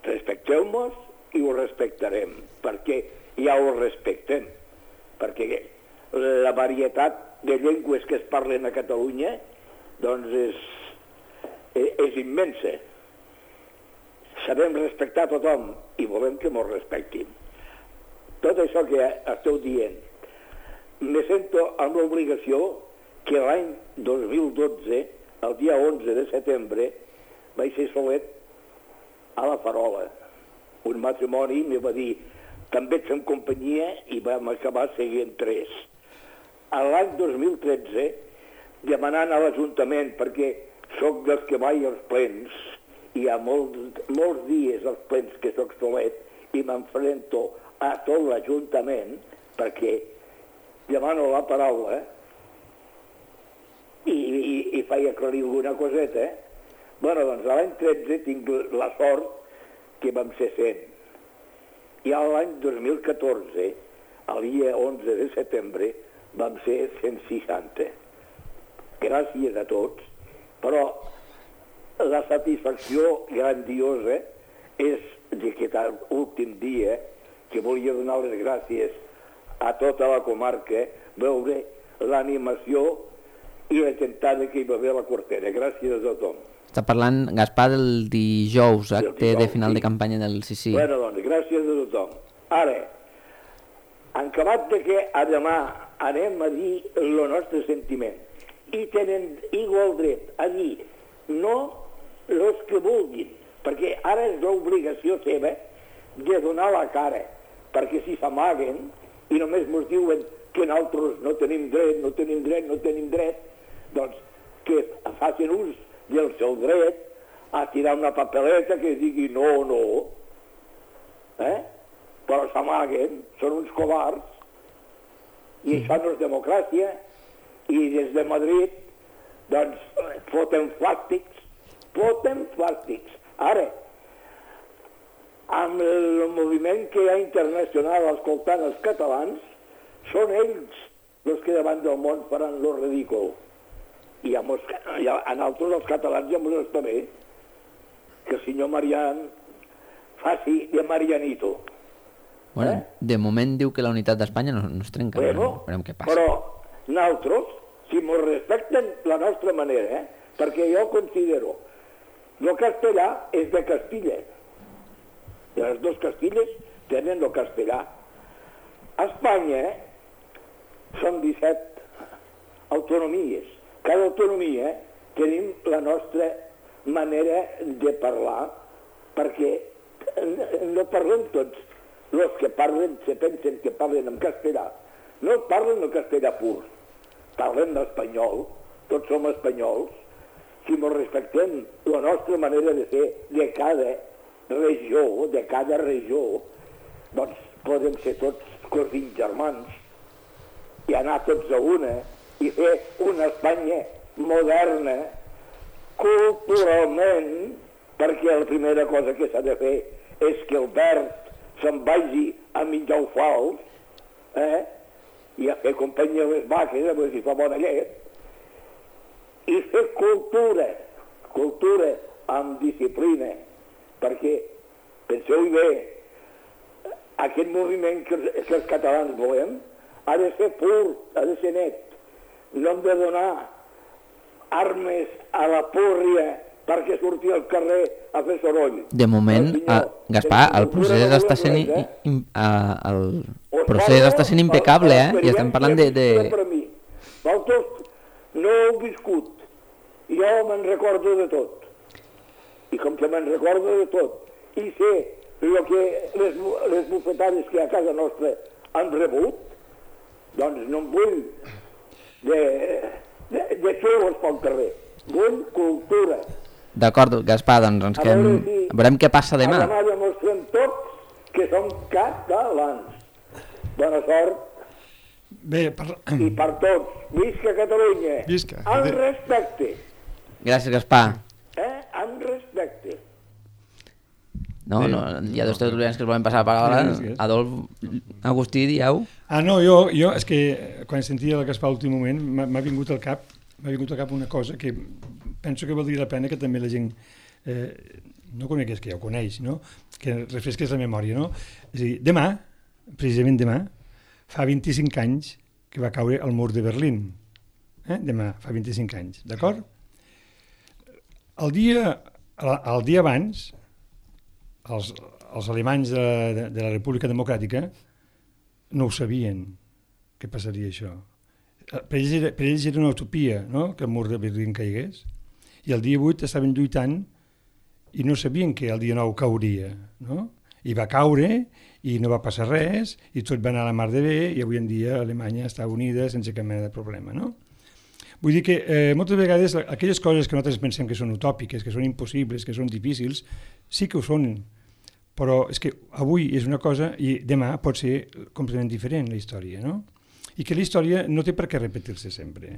Respecteu-nos i ho respectarem, perquè ja ho respectem, perquè la varietat de llengües que es parlen a Catalunya doncs és immensa. Sabem respectar tothom i volem que ens respectin. Tot això que esteu dient, me sento amb l'obligació que l'any 2012, el dia 11 de setembre, vaig ser solet a la Farola. Un matrimoni me va dir, també ets en companyia, i vam acabar seguint 3. L'any 2013, demanant a l'Ajuntament, perquè soc dels que vaig als plens, i hi ha molts dies als plens que soc solet, i m'enfrento a tot l'Ajuntament, perquè demano la paraula, i faig aclarir alguna coseta. Bueno, doncs l'any 13 tinc la sort que vam ser 100. I l'any 2014, el dia 11 de setembre, vam ser 160. Gràcies a tots, però la satisfacció grandiosa és d'aquest últim dia que volia donar les gràcies a tota la comarca, veure l'animació i la gentada que hi va haver a la Cortera. Gràcies a tothom. Està parlant, Gaspar, del dijous, acte de final de campanya del sí. Bueno, doncs, gràcies a tothom. Ara, en acabat de que a demà anem a dir el nostre sentiment i tenen igual dret a dir no els que vulguin, perquè ara és l'obligació seva de donar la cara, perquè si s'amaguen i només ens diuen que nosaltres no tenim dret, doncs que facin ús del seu dret a tirar una papeleta que digui no, però s'amaguen, són uns covards, i això no és democràcia, i des de Madrid, doncs, foten plàstics. Ara, amb el moviment que hi ha internacional escoltant els catalans, són ells els que davant del món faran lo ridícul. I a nosaltres, els catalans, ja ens està bé que el senyor Marián faci de Marianito. Bueno, de moment diu que la unitat d'Espanya no es trenca, veurem què passa. Però nosaltres, si ens respecten la nostra manera, perquè jo considero el castellà és de Castilla. I les dues Castilles tenen el castellà. A Espanya són 17 autonomies. Cada autonomia tenim la nostra manera de parlar, perquè no parlem tots. Els que parlen se pensen que parlen en castellà. No parlen el castellà pur. Parlen l'espanyol. Tots som espanyols. Si ens respectem la nostra manera de ser de cada regió, doncs podem ser tots cosins germans i anar tots a una i fer una Espanya moderna culturalment, perquè la primera cosa que s'ha de fer és que el verd se'n vagi a menjar el fals, i a fer companyia a les vaques, a veure si fa bona llet, i fer cultura amb disciplina, perquè, penseu-hi bé, aquest moviment que els catalans volem ha de ser pur, ha de ser net. No hem de donar armes a la púrria perquè surti al carrer a fer soroll. De moment, Gaspar, el procés està sent impecable, i estem parlant de... Vosaltres no heu viscut. Jo me'n recordo de tot. I com que me'n recordo de tot, i sé les bufetades que a casa nostra han rebut, doncs no em vull de xulos pel carrer. Vull cultura. D'acord, Gaspar, doncs veurem què passa demà. Demà demostrem tots que som catalans. Bona sort. Bé, I per tots. Visca Catalunya. Visca. Amb respecte. Gràcies, Gaspar. Amb respecte. No, hi ha dos tertulians que es volen passar a parlar. Adolf, Agustí, dieu? No, jo, és que quan sentia el Gaspar a l'últim moment m'ha vingut al cap una cosa que penso que valdria la pena que també la gent no conegués, que ja ho coneix, no? Que refresqués la memòria, no? És a dir, demà, precisament demà, fa 25 anys que va caure el mur de Berlín. Demà, fa 25 anys, d'acord? El dia abans, els alemanys de la República Democràtica no ho sabien que passaria això. Per ells era una utopia, no?, que el mur de Berlín caigués, i el dia 8 estaven lluitant i no sabien que el dia 9 cauria, no? I va caure i no va passar res i tot va anar a la mar de bé i avui en dia Alemanya està unida sense cap mena de problema, no? Vull dir que moltes vegades aquelles coses que nosaltres pensem que són utòpiques, que són impossibles, que són difícils, sí que ho són, però és que avui és una cosa i demà pot ser completament diferent la història, no? I que la història no té per què repetir-se sempre.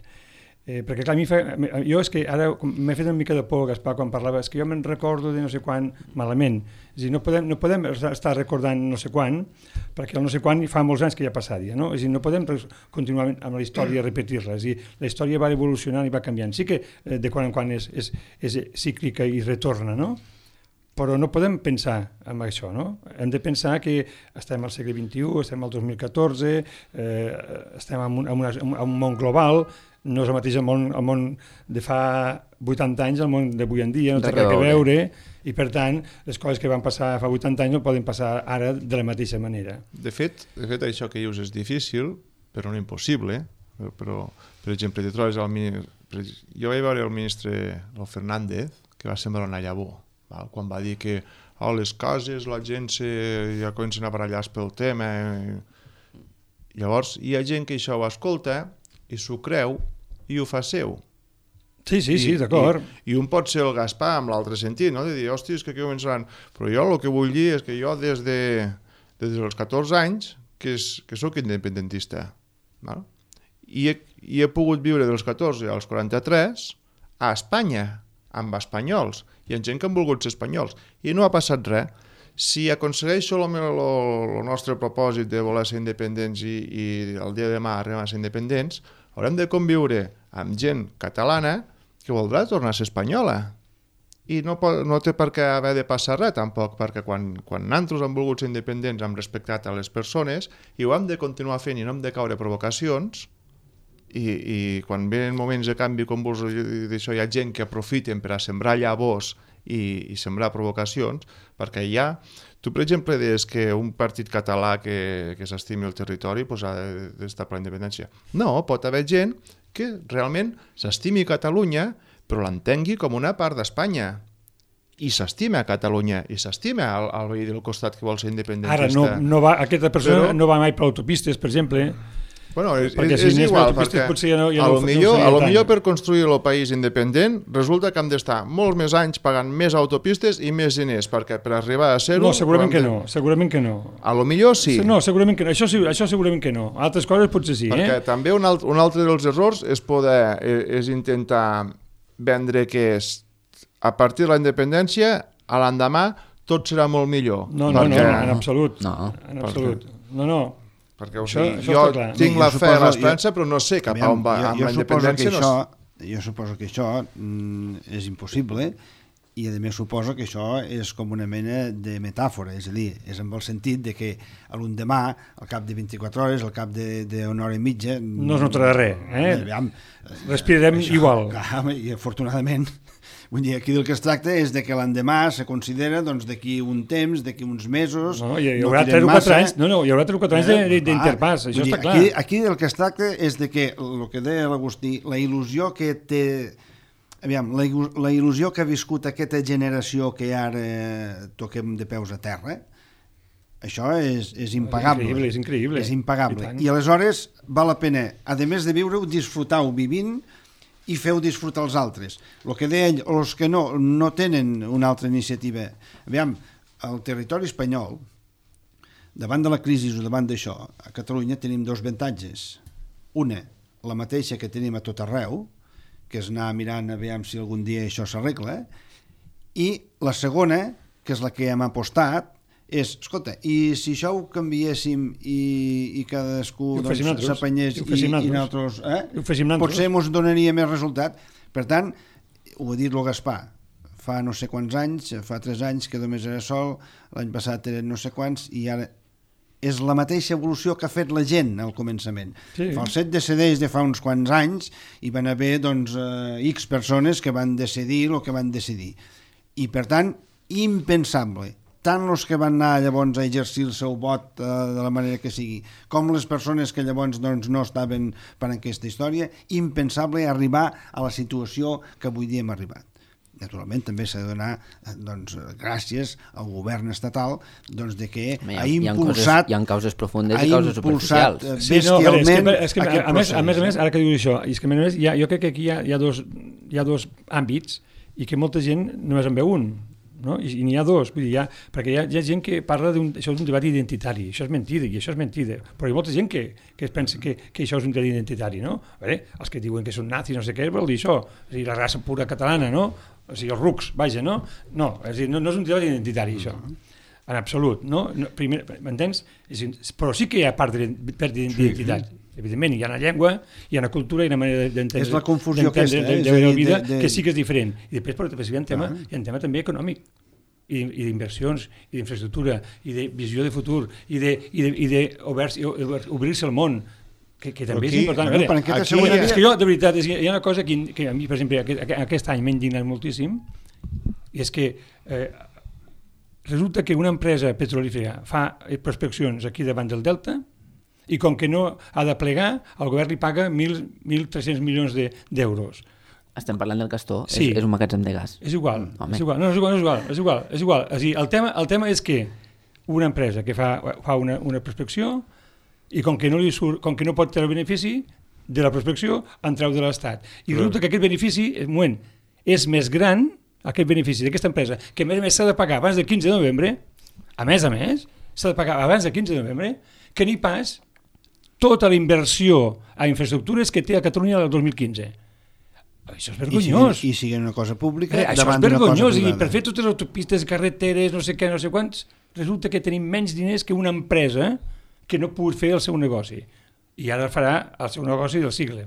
Perquè clar, jo és que ara m'he fet una mica de por, Gaspar, quan parlava, és que jo me'n recordo de no sé quan malament. És a dir, no podem estar recordant no sé quan, perquè el no sé quan fa molts anys que ja ha passat ja, no? És a dir, no podem continuar amb la història i repetir-la. És a dir, la història va evolucionant i va canviant. Sí que de quan en quan és cíclica i retorna, no? Però no podem pensar en això, no? Hem de pensar que estem al segle XXI, estem al 2014, estem en un món global, no és el mateix el món de fa 80 anys, el món d'avui en dia, no té res a veure, i per tant, les coses que van passar fa 80 anys no poden passar ara de la mateixa manera. De fet, això que dius és difícil, però no impossible. Però, per exemple, te trobes jo vaig veure el ministre Fernández, que va semblar una llavor, quan va dir que les cases, la gent ja comencen a barallar pel tema. Llavors, hi ha gent que això ho escolta i s'ho creu i ho fa seu. Sí, d'acord. I un pot ser el Gaspar amb l'altre sentit, no? De dir, hòstia, és que aquí començaran... Però jo el que vull dir és que jo des dels 14 anys que sóc independentista. No? I he pogut viure dels 14 als 43 a Espanya, amb espanyols, i amb gent que han volgut ser espanyols. I no ha passat res. Si aconsegueixo el nostre propòsit de voler ser independents i el dia de demà arribar a ser independents, haurem de conviure amb gent catalana que voldrà tornar a ser espanyola. i no té per què haver de passar res tampoc, perquè quan nosaltres hem volgut ser independents hem respectat a les persones i ho hem de continuar fent i no hem de caure provocacions i quan venen moments de canvi com vols d'això, hi ha gent que aprofiten per a sembrar llavors i sembrar provocacions, perquè tu per exemple des que un partit català que s'estimi el territori ha d'estar per la independència. No, pot haver gent que realment s'estimi Catalunya però l'entengui com una part d'Espanya i s'estima a Catalunya i s'estima al veí del costat que vol ser independentista. Ara, aquesta persona no va mai per autopistes, per exemple. Bueno, és igual, perquè potser per construir el país independent resulta que hem d'estar molts més anys pagant més autopistes i més diners, perquè per arribar a ser-ho... No, segurament que no. A lo millor sí. No, segurament que no. Això segurament que no. Altres coses potser sí, perquè també un altre dels errors és intentar vendre que a partir de la independència, a l'endemà, tot serà molt millor. No, en absolut. No. Perquè jo tinc la fe a l'esperança, però no sé cap a on va. Amb la independència jo suposo que això és impossible i a més suposo que això és com una mena de metàfora, és a dir, és amb el sentit de que a l'endemà, al cap de 24 hores, al cap d'una hora i mitja... No es notarà res, respirarem igual. I afortunadament... Vull dir, aquí del que es tracta és de que l'endemà se considera d'aquí un temps, d'aquí uns mesos... Hi haurà 3 o 4 anys, hi haurà 3 o 4 anys d'interpàs, això està clar. Aquí del que es tracta és de que, el que deia l'Agustí, la il·lusió que té... Aviam, la il·lusió que ha viscut aquesta generació que ara toquem de peus a terra, això és impagable. És increïble. És impagable. I aleshores val la pena, a més de viure-ho, disfrutar-ho vivint i feu disfrutar els altres. El que deia ell, els que no tenen una altra iniciativa. Aviam, el territori espanyol, davant de la crisi o davant d'això, a Catalunya tenim 2 avantatges. Una, la mateixa que tenim a tot arreu, que és anar mirant a veure si algun dia això s'arregla, i la segona, que és la que hem apostat, és, escolta, i si això ho canviéssim i cadascú s'apanyés i nosaltres, potser ens donaria més resultat. Per tant, ho ha dit el Gaspar, fa no sé quants anys, fa 3 anys que només era sol, l'any passat eren no sé quants, i ara és la mateixa evolució que ha fet la gent al començament. El set de CDs de fa uns quants anys hi van haver X persones que van decidir el que van decidir. I per tant, impensable, tant els que van anar llavors a exercir el seu vot de la manera que sigui, com les persones que llavors no estaven per aquesta història, impensable arribar a la situació que avui dia hem arribat. Naturalment també s'ha de donar gràcies al govern estatal de que ha impulsat... Hi ha causes profundes i causes superficials. Bestialment a més, ara que dius això, és que a més, jo crec que aquí hi ha dos àmbits i que molta gent només en veu un. No? I n'hi ha 2, vull dir, perquè hi ha gent que parla això és un debat identitari, això és mentida, i això és mentida, però hi ha molta gent que es pensa que això és un debat identitari, no? Els que diuen que són nazis, no sé què, vol dir això, és a dir, la raça pura catalana, no? O sigui, els rucs, vaja, no? No, és a dir, no és un debat identitari, això, en absolut, no? Primer, m'entens? Però sí que hi ha part d'identitat. Evidentment, hi ha una llengua, hi ha una cultura i una manera d'entendre la confusió la vida que sí que és diferent. I després hi ha un tema també econòmic i d'inversions, i d'infraestructura, i de visió de futur, i d'obrir-se al món, que també és important. És que jo, de veritat, hi ha una cosa que a mi, per exemple, aquest any m'ha indignat moltíssim, i és que resulta que una empresa petrolífera fa prospeccions aquí davant del Delta i com que no ha de plegar, el govern li paga 1.300 milions d'euros. Estem parlant del Castor, sí. És un magatzem de gas. És igual. És igual. És dir, el tema és que una empresa que fa una prospecció i com que no pot treure benefici de la prospecció, en treu de l'Estat. I resulta que aquest benefici, és més gran, aquest benefici d'aquesta empresa, que a més s'ha de pagar abans del 15 de novembre, a més, s'ha de pagar abans del 15 de novembre, que ni pas tota la inversió a infraestructures que té a Catalunya el 2015. Això és vergonyós. I sigui una cosa pública això és vergonyós. I per fer totes les autopistes, carreteres, no sé què, no sé quants, resulta que tenim menys diners que una empresa que no pugui fer el seu negoci. I ara farà el seu negoci del segle.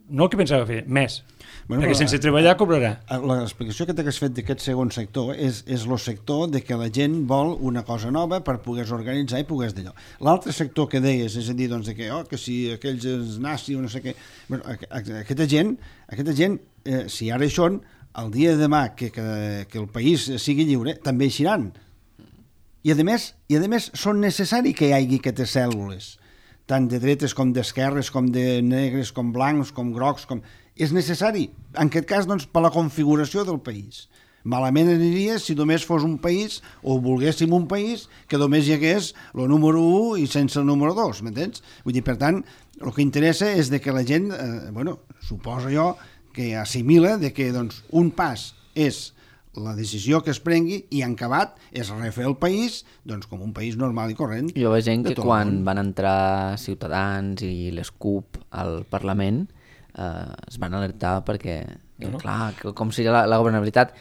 no el que pensava fer, més. Bueno, Perquè sense treballar cobrarà. L'explicació que t'has fet d'aquest segon sector és el sector de que la gent vol una cosa nova per poder-se organitzar i poder d'allò. L'altre sector que deies, és a dir, doncs, que si aquells és nazi o no sé què... Bueno, aquesta gent, si ara hi són, el dia de demà que el país sigui lliure, també hi seran. I a més són necessari que hi hagi aquestes cèl·lules, tant de dretes com d'esquerres, com de negres, com blancs, com grocs, és necessari, en aquest cas, doncs, per la configuració del país. Malament aniria si només fos un país, o volguéssim un país, que només hi hagués el número 1 i sense el número 2, m'entens? Vull dir, per tant, el que interessa és de que la gent, suposo jo, que assimila de que doncs, un pas és la decisió que es prengui i en acabat és refer el país doncs, com un país normal i corrent. Jo veig gent que quan van entrar Ciutadans i les CUP al Parlament es van alertar perquè, clar, com seria la governabilitat,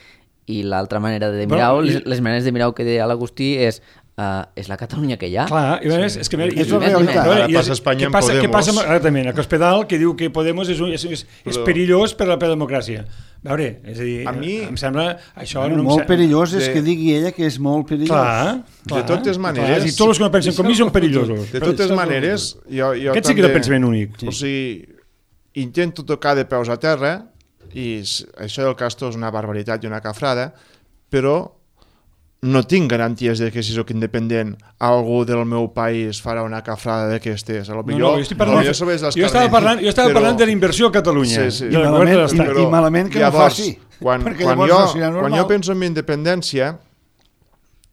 i l'altra manera de mirar, les maneres de mirar que deia l'Agustí és la Catalunya que hi ha. Clar, i és que és la realitat. Ara passa a Espanya amb Podemos. Què passa exactament? A Cospedal, que diu que Podemos és perillós per la democràcia. A veure, és a dir, em sembla... Això molt perillós és que digui ella que és molt perillós. Clar. De totes maneres... Tots els que no pensen com mi són perillosos. De totes maneres, jo aquest sí que és el pensament únic. O sigui, intento tocar de peus a terra, i això del Castor és una barbaritat i una cafrada, però no tinc garanties de que si sóc independent algú del meu país farà una cafrada d'aquestes. Jo estava parlant de la inversió a Catalunya. Sí. I malament que no faci. Quan jo penso en mi independència,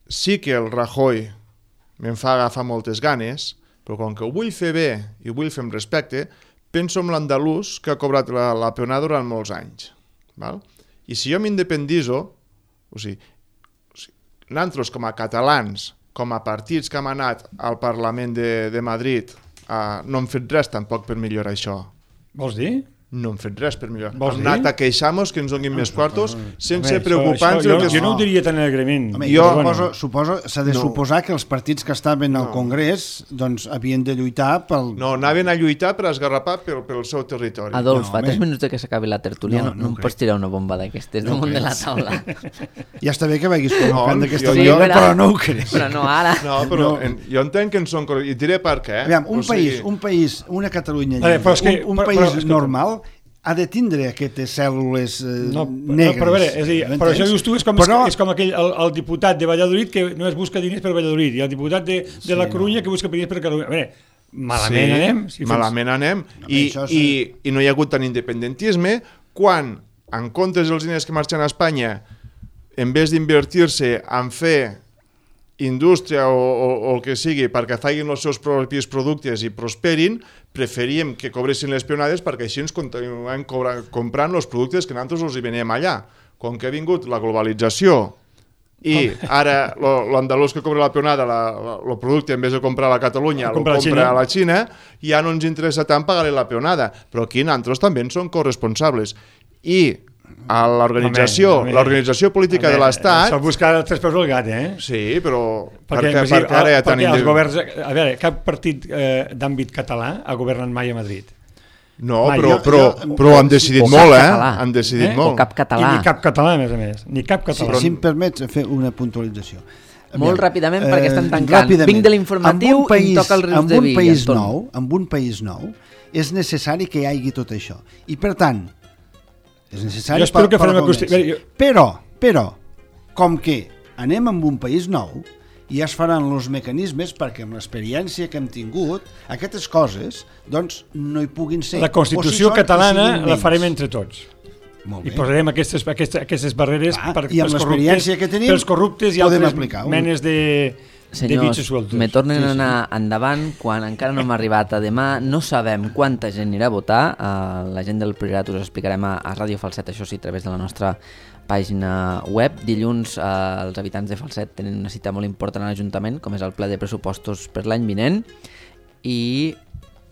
sí que el Rajoy me'n fa agafar moltes ganes, però com que ho vull fer bé i ho vull fer amb respecte, penso en l'andalús que ha cobrat la peonada durant molts anys. Val? I si jo m'independizo, o sigui, nosaltres com a catalans, com a partits que hem anat al Parlament de Madrid, no hem fet res tampoc per millorar això. Vols dir? No hem fet res per millorar. Hem anat a queixar-nos que ens donin més quartos sense preocupar-nos. Jo no ho diria tan alegrement. Suposo, s'ha de suposar que els partits que estaven al Congrés doncs havien de lluitar pel... No, anaven a lluitar per esgarrapar pel seu territori. Adolf, fa 3 minuts que s'acabi la tertúlia no em pots tirar una bomba d'aquestes damunt de la taula. Ja està bé que vagis col·locant d'aquesta manera, però no ho creus. Però no ara. No, però jo entenc que en són... I diré per què. Aviam, un país, una Catalunya lliure, un país normal ha de tindre aquestes cèl·lules negres. Però això dius tu és com aquell el diputat de Valladolid que no es busca diners per Valladolid i el diputat de la Corunya que busca diners per Catalunya. A veure, malament anem. Malament anem i no hi ha hagut tant independentisme quan, en comptes dels diners que marxen a Espanya, en vez d'invertir-se en fer indústria o el que sigui perquè facin els seus propis productes i prosperin, preferíem que cobressin les peonades perquè així ens continuem comprant els productes que nosaltres els hi venem allà. Com que ha vingut la globalització i ara l'andalús que cobra la peonada, el producte, en vez de comprar a la Catalunya, el compra a la Xina, ja no ens interessa tant pagar-li la peonada. Però aquí nosaltres també en som corresponsables. I a l'organització política de l'Estat... S'ha buscat els 3 peus al gat, Sí, però perquè ara hi ha tant... Els governs... A veure, cap partit d'àmbit català ha governat mai a Madrid. No, però han decidit molt, Han decidit molt. O cap català. I ni cap català, a més. Ni cap català. Si em permets fer una puntualització. Molt ràpidament, perquè estan tancant. Vinc de l'informatiu i em toca el Rius de Villa. En un país nou és necessari que hi hagi tot això. I, per tant, és necessari però com que anem amb un país nou i ja es faran els mecanismes perquè amb l'experiència que hem tingut aquestes coses doncs no hi puguin ser. La Constitució catalana la farem entre tots i posarem aquestes barreres pels corruptes i altres menes de Senyors, me tornen a anar endavant quan encara no hem arribat a demà. No sabem quanta gent anirà a votar. La gent del Priorat us explicarem a Ràdio Falset, això sí, a través de la nostra pàgina web. Dilluns els habitants de Falset tenen una cita molt important a l'Ajuntament, com és el ple de pressupostos per l'any vinent. I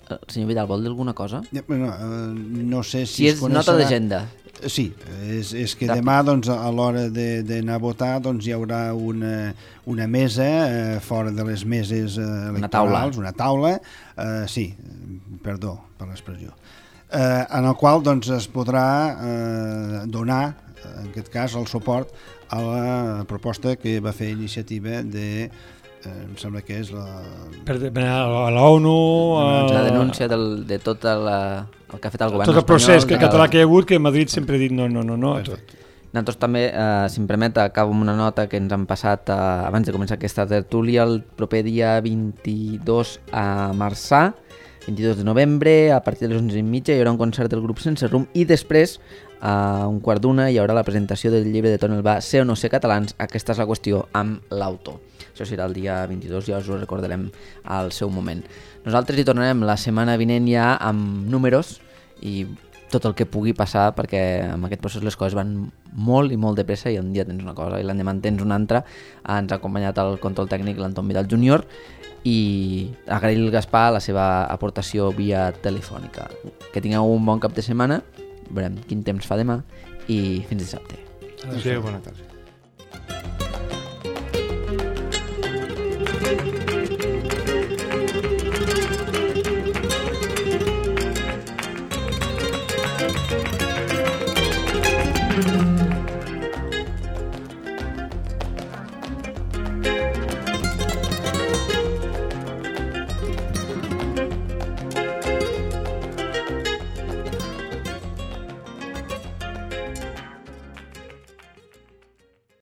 el senyor Vidal vol dir alguna cosa? No sé si és nota d'agenda. Sí, és que demà doncs, a l'hora d'anar a votar doncs, hi haurà una mesa fora de les meses electorals, una taula, sí, perdó per l'expressió, en el qual doncs, es podrà donar, en aquest cas, el suport a la proposta que va fer iniciativa de, em sembla que és a l'ONU... La denúncia de tot el que ha fet el govern espanyol. Tot el procés català que hi ha hagut, que Madrid sempre ha dit no. Nosaltres també, si em permet, acabo amb una nota que ens han passat abans de començar aquesta tertúlia el proper dia 22 a Marçà, 22 de novembre, a partir de les 11:30 hi haurà un concert del grup Sense Rumb i després, a 1:15, hi haurà la presentació del llibre de Toni Albà, Ser o no ser catalans, aquesta és la qüestió, amb l'autor. Això serà el dia 22, ja us ho recordarem al seu moment. Nosaltres hi tornarem la setmana vinent ja amb números i tot el que pugui passar, perquè amb aquest procés les coses van molt i molt de pressa i un dia tens una cosa i l'endemà tens una altra. Ens ha acompanyat el control tècnic l'Anton Vidal Júnior i agrair al Gaspar la seva aportació via telefònica. Que tingueu un bon cap de setmana, veurem quin temps fa demà i fins dissabte. Adéu, bona tarda. Thank you.